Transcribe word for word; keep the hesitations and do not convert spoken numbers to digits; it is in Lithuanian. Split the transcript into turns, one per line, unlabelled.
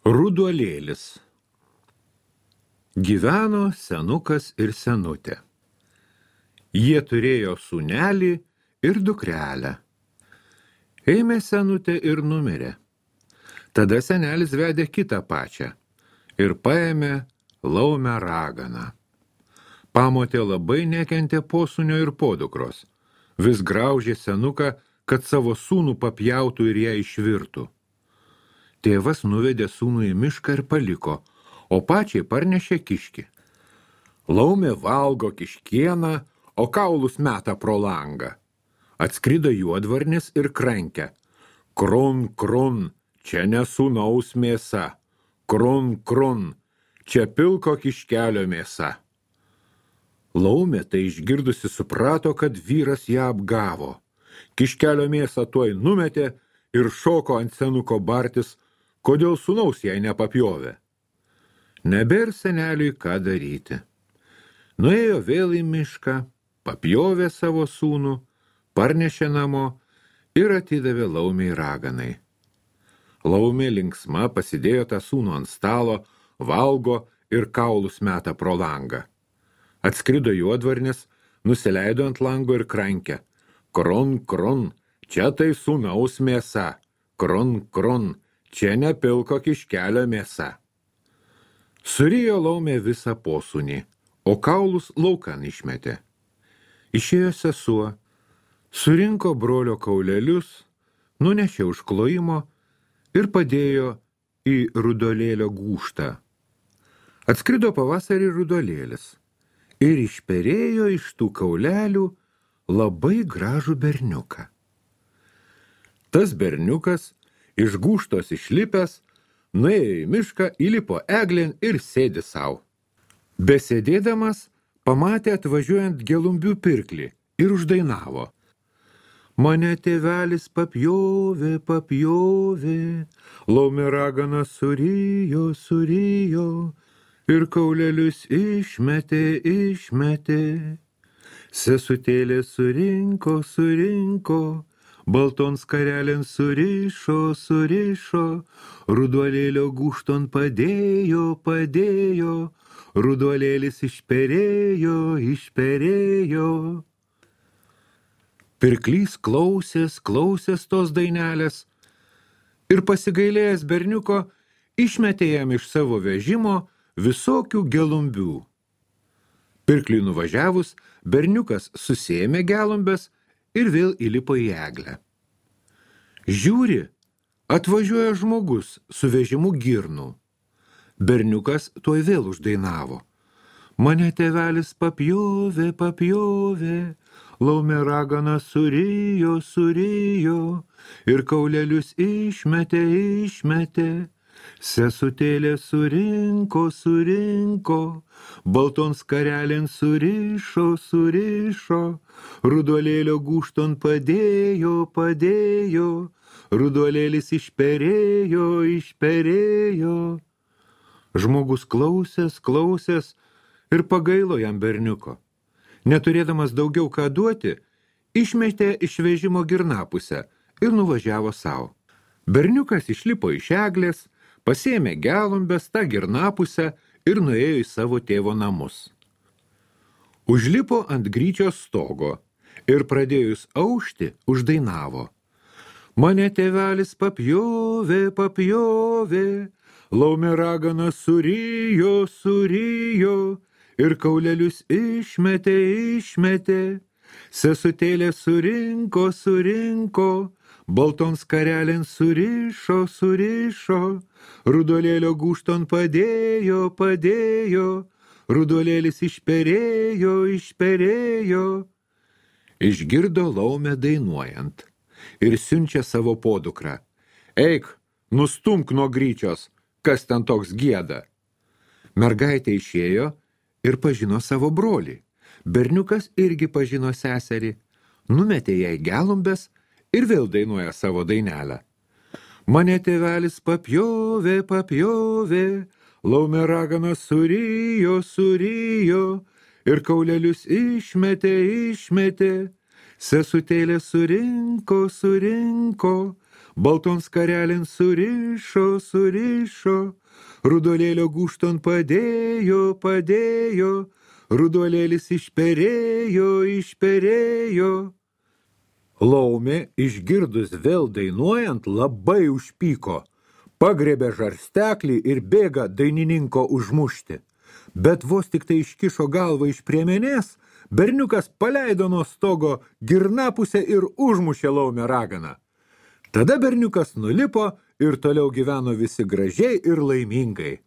Ruduolėlis. Gyveno senukas ir senutė. Jie turėjo sūnelį ir dukrelę. Ėmė senutė ir numirė. Tada senelis vedė kitą pačią ir paėmė laumę raganą. Pamotė labai nekentė posūnio ir podukros. Vis graužė senuką, kad savo sūnų papjautų ir ją išvirtų. Tėvas nuvedė sūnų į mišką ir paliko, o pačiai parnešė kiškį. Laumė valgo kiškieną, o kaulus meta pro langą. Atskrido juodvarnis ir krankė. Krun, krun, čia ne sūnaus mėsa. Krun, krun, čia pilko kiškelio mėsa. Laumė tai išgirdusi suprato, kad vyras ją apgavo. Kiškelio mėsą tuoj numetė ir šoko ant senuko bartis, kodėl sūnaus jai nepapjovė. Nebėr seneliui ką daryti. Nuėjo vėl į mišką, papjovė savo sūnų, parnešė namo ir atidavė laumei raganai. Laumė linksma pasidėjo tą sūnų ant stalo, valgo ir kaulus meta pro langą. Atskrido juodvarnis, nusileido ant lango ir krankė. Kron, kron, čia tai sūnaus mėsa. Kron, kron, čia ne pilko kiškelio mėsa. Surijo laumė visą posūnį, o kaulus laukan išmetė. Išėjo sesuo, surinko brolio kaulelius, nunešė užklojimo ir padėjo į ruduolėlio gūžtą. Atskrido pavasarį ruduolėlis ir išperėjo iš tų kaulelių labai gražų berniuką. Tas berniukas iš gūžtos išlipęs, nuėjo į mišką, įlipo eglėn ir sėdi sau. Besėdėdamas, pamatė atvažiuojant gelumbių pirklį ir uždainavo. Mane tėvelis papjovė, papjovė, laumė ragana surijo, surijo, ir kaulelius išmetė, išmetė. Sesutėlė surinko, surinko, balton skarelėn surišo, surišo, ruduolėlio gūžton padėjo, padėjo, ruduolėlis išperėjo, išperėjo. Pirklys klausės, klausės tos dainelės ir pasigailėjęs berniuko išmetė jam iš savo vežimo visokių gelumbių. Pirkliui nuvažiavus, berniukas susėmė gelumbes ir vėl įlipo į eglę. Žiūri, atvažiuoja žmogus su vežimu girnų. Berniukas tuoj vėl uždainavo. Mane tėvelis papjovė, papjovė, laumė ragana surijo, surijo, ir kaulelius išmetė, išmetė. Sesutėlė surinko, surinko, balton skarelėn surišo, surišo, ruduolėlio gūžton padėjo, padėjo, ruduolėlis išperėjo, išperėjo. Žmogus klausės, klausės ir pagailo jam berniuko. Neturėdamas daugiau ką duoti, išmetė iš vežimo girnapusę ir nuvažiavo savo. Berniukas išlipo iš eglės, pasėmė gelumbes, tą girnapusę ir nuėjo į savo tėvo namus. Užlipo ant gryčios stogo ir pradėjus aušti uždainavo. Mane tėvelis papjovė, papjovė, laumė ragana surijo, surijo, ir kaulelius išmetė, išmetė. Sesutėlė surinko, surinko, balton skarelėn surišo, surišo, ruduolėlio gūžton padėjo, padėjo, ruduolėlis išperėjo, išperėjo. Išgirdo laumę dainuojant ir siunčia savo podukrą. Eik, nustumk nuo gryčios, kas ten toks gieda. Mergaitė išėjo ir pažino savo brolį. Berniukas irgi pažino seserį, numetė jai gelumbes ir vėl dainuoja savo dainelę. Mane tėvelis papjovė, papjovė, laumė ragana surijo, surijo, ir kaulelius išmetė, išmetė. Sesutėlė surinko, surinko, balton skarelin surišo, surišo, rudolėlio gūšton padėjo, padėjo, rudolėlis išperėjo, išperėjo. Laumė, išgirdus vėl dainuojant, labai užpyko, pagriebė žarsteklį ir bėga dainininko užmušti. Bet vos tik tai iškišo galvą iš priemenės, berniukas paleido nuo stogo girnapusę ir užmušė laumę raganą. Tada berniukas nulipo ir toliau gyveno visi gražiai ir laimingai.